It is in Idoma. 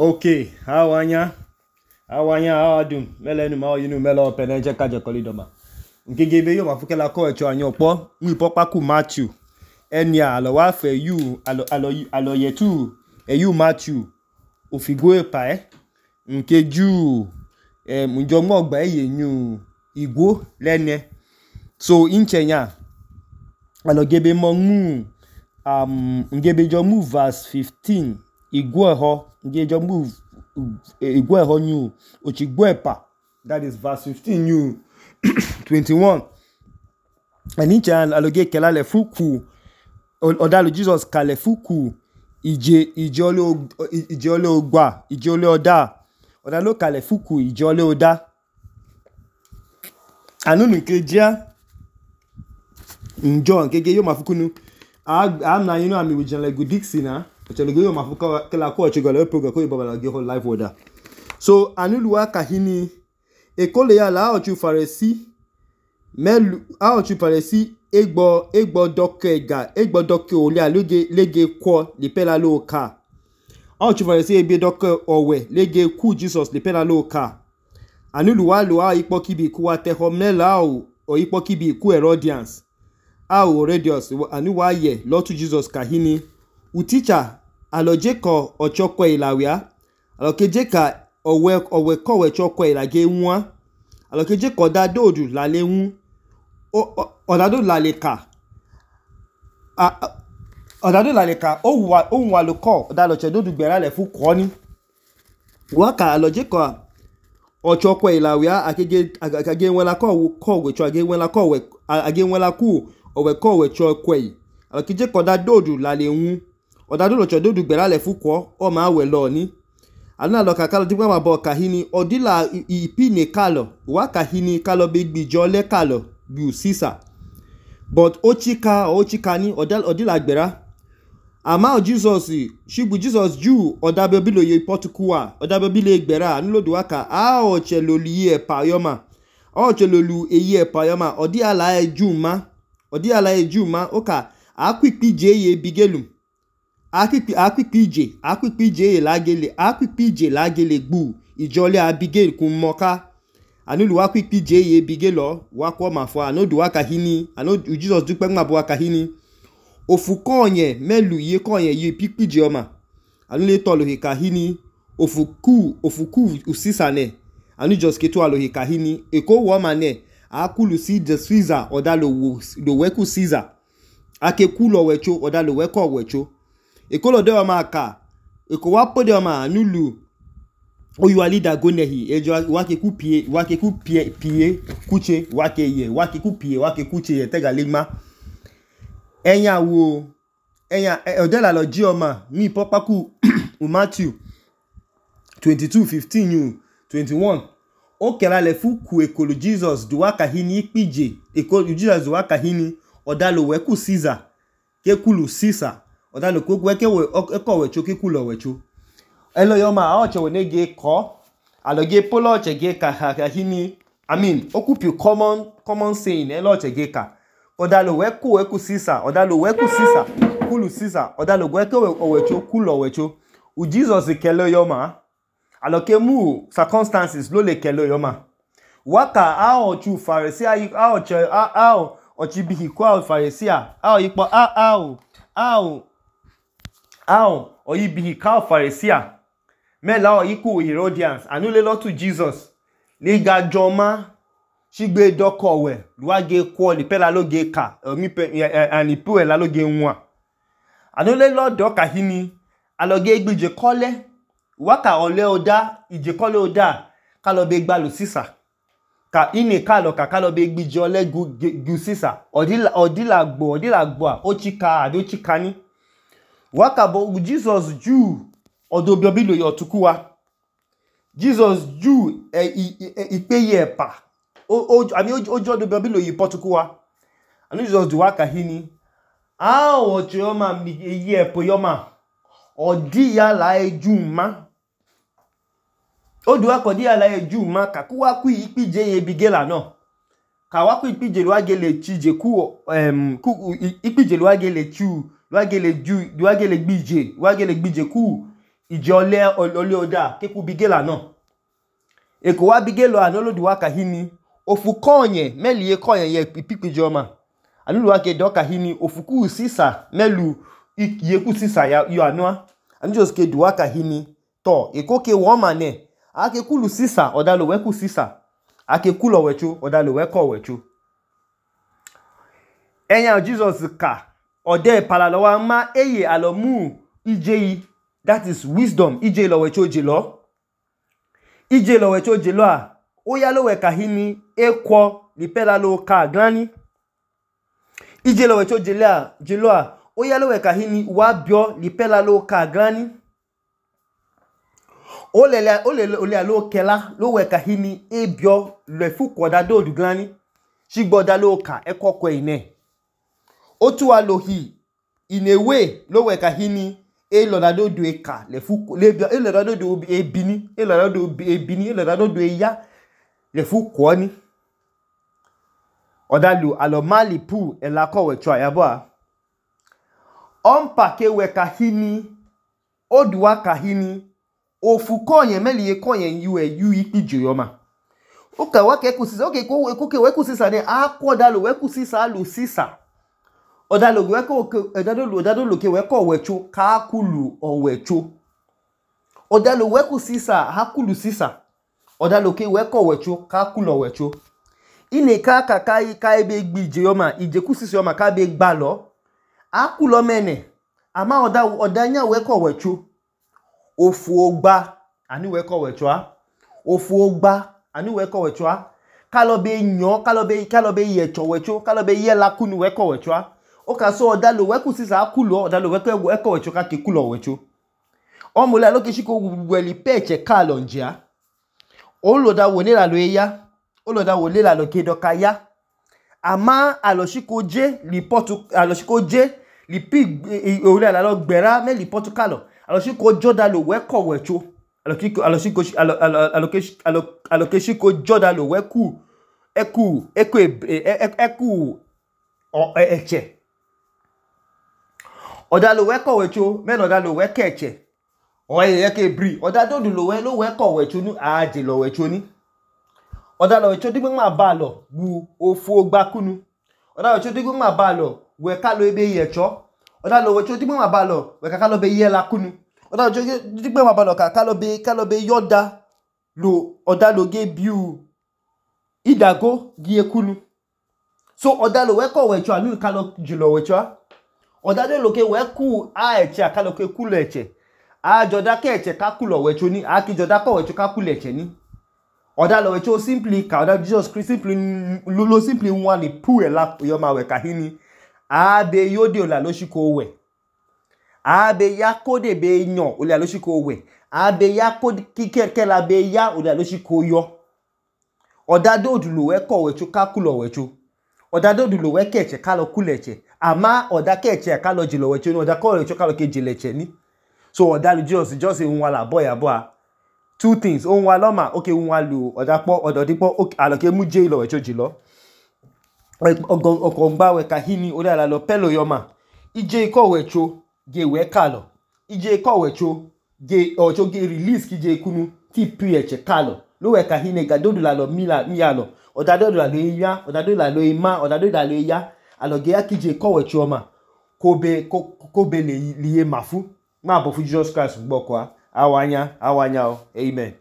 Okay, how are you? How are you? Mele nu ma yinu mele opene je kaje kolidoma. Ngegebe yo mafukela ko echo anyo po, mu ipopa ku Matthew. Enia alo wa fe you alo yetu you Matthew. Ofigo epa nkeju munjo mo gba eyenyu igwo lene. So inchenya alo gebe mo mu ngebe jo mu verse 15 igwo ho nge jo move igwe ho new ochigwe pa, that is verse 15 new 21 anichan aloge kelale fuku odalo Jesus kale fuku ije ole oda odalo kale fuku ije ole oda anunu kejia njo nkege yo mafukunu am na ami wijale gudixi na ochologo yo mafuka kala ko ochigole program ko ibaba ge ho live order. So anuluwa kahini ekole ya la ochu faresi melu a ochu faresi egbo doke ole aloge lege ko le pela lo ka a ochu faresi ebe doke owe lege ku Jesus le pela lo ka anuluwa lo a ipo kibi ku wa te homela o ipo kibi ku Herodians a o Herodians anuwa ye lotu Jesus kahini uticha alojeko ochokwe ilawia alokejeka owe kowe chokwe ilage nwa alokejeko dadodu lalewu odado laleka ohun aloko odaloche dodu gbera le fu koni waka alojeko ochokwe ilawia akage nwela kowe cho age nwela kowe age nwela ku owe kowe chokwe alokejeko dadodu lalewu odado locho dodu gbera le fuko o ma we lo ni ana lo kakalo digba ma bo kahini odila ipine kalo wa kahini kalo be gbijo le kalo bi Caesar but ochika ni odila gbera ama Jesus shibu Jesus ju odabe bilo ye potukuwa odabe bile gbera anu lo duwaka a o cheloli e payoma o chelolu eye payoma odi ala ejuma oka akwipije ye bigelum akpikpije lagele gbu ijole Abigail kun moka anulu akpikpije ye bigelo wakwo mafo anodu wakahini anodu Jesus dupe ngabo wakahini ofukonye melu ye konye ye pikpije oma anule tolo he kahini ofuku usisane anu just ketu alo he kahini eko wo mane akulu si the Caesar odalo lo weku Caesar akekulo wecho odalo weko wecho ekolo de ma ka eko wa pode ma nulu oyuali dagonehi ejo wake kupie kuche wake kuche ye tegaligma enya odela lo ji oma mi popaku Matthew 22:15 21 okela le fuku ekolo Jesus duwaka hini ikpije ekolo Jesus duwaka hini odalo weku Caesar kekulu Caesar odalo ko ekowe choke kulo wecho elo yoma aoche wenege ko aloge polo chege kahini okupi common saying elo chege ka odalo weku Caesar odalo weku Caesar kulu Caesar odalo weku owecho kulo wecho u Jesus kelo yoma aloke mu circumstances lo le kelo yoma waka aochu Pharisee aoche ochibihi kwa Pharisee ipo oyibihi ka Pharisee mela iku Herodians anule lotu Jesus liga joma shigbe dokowe luage kwa lipela loge ka anipu ela loge nwa anule lo doka hini aloge igbije kole waka ole oda ije kole oda kalobe gbalu Caesar ka ine kalobe igbije ole gu Caesar odila gbo ochika ni waka bo Jesus ju odobio yo tukuwa Jesus ju ipeye pa ojo odobio yi potukuwa anu Jesus du waka hini ochoma mi eye po yoma odi ya la ejuma odu akodi ya la ejuma ka kuwa ku ipije ye bigela no ka wa ku ipije lo agele chije ku ipije lo agele chu luagele gbije ku ije ole oda keku bigela no eko wa bigelo anolodu wa kahini ofu konye meli ye konye ye ipikpije oma anulu wa ke do kahini ofu ku sisa melu ye ku sisa ya yo anua anu just ke du wa kahini to eko ke wo mane ake kulu sisa odalo we ku sisa ake kulo wecho odalo we ko wecho enya Jesus ka ode palalo wa ma eye alomu ije that is wisdom ije lo wecho jelo ije lo wecho jelo a oya lo we kahini ekwo lipela lo ka glani ije lo wecho jelo a oya lo we kahini wa bio lipela lo ka glani ole lo kela lo we kahini ebio le fuko da do du glani shigboda lo ka ekoko ine otu alohi in a way lo we kahini elodado do eka le fuko le bio elodado do ebini elodado do eya le fuko ni odalu alomali pu elako wecho ayabo a ompa ke we kahini oduwa kahini ofu konye meli ye konye yu ikpije yoma oka wa ke kusisa oke ko ke we kusisa ne akodalu we kusisa alu sisa odalo we ko odalo lo ke we ko wecho ka kulu owecho odalo we kusisa hakulu sisa odalo ke we ko wecho ka kulu owecho ine ka ebe gbije yoma ije kusisa yoma ka be gba lo akulo mene ama odanya we ko wecho ofu ogba ani we ko wecho a ofu ogba ani we ko wecho a kalobe nyo kalobe yecho wecho kalobe yela kunu we ko wecho a o ka so odalo we kusisa akulo odalo we ko wecho ka ke kulo wecho omule aloke shiko weli peche kalo njia oloda woni la lo eya oloda woni la lo ke doka ya ama aloshiko je li pig ole la lo gbera me li Portugal aloshiko jodalo we ko wecho alokeshiko jodalo we ku eku eche odalo we ko wecho me odalo we keche oye ke bri odado du lo we ko wecho nu aje lo wecho ni odalo wecho digbe ma ba lo bu ofu ogba kunu odalo wecho digbe ma ba lo we ka lo ebe yecho odalo wecho digbe ma ba lo we ka lo be yela kunu odalo wecho digbe ma ba lo ka lo be yoda lo odalo ge biu idago gi ekunu so odalo we ko wecho anu ka lo jilo wecho odado lo ke we ku a eche ka lo ke kulo eche a joda ke eche ka kulo wecho ni a ki joda ko wecho ka kulo eche ni odalo wecho simply ka odalo Jesus Christ simply one pu ela yo ma we kahini a be yode ola lo shiko we a be ya kode be nyo ola lo shiko we a be ya kode kike la be ya ola lo shiko yo odado du lo we ko wecho ka kulo wecho odado du lo we ke eche ka lo kulo eche ama oda ke eche ka lo jilo wecho ni oda ko wecho ka lo ke jile eche ni so odalo just nwa la boy abo two things on wa loma okay nwa lu odapo ododipo okay aloke mu je lo wecho jilo okongba we kahini oda la lo pelo yoma ije ko wecho ge we kalo ije ko wecho ge ocho ge release ki je kunu ti pi eche kalo lo we kahini gadodu la lo mi alo odado la lo ya odado la lo ima odado la lo ya aloge ya ki je ko wecho ma kobe le liye mafu ma bo fu Jesus Christ gboko awanya o amen.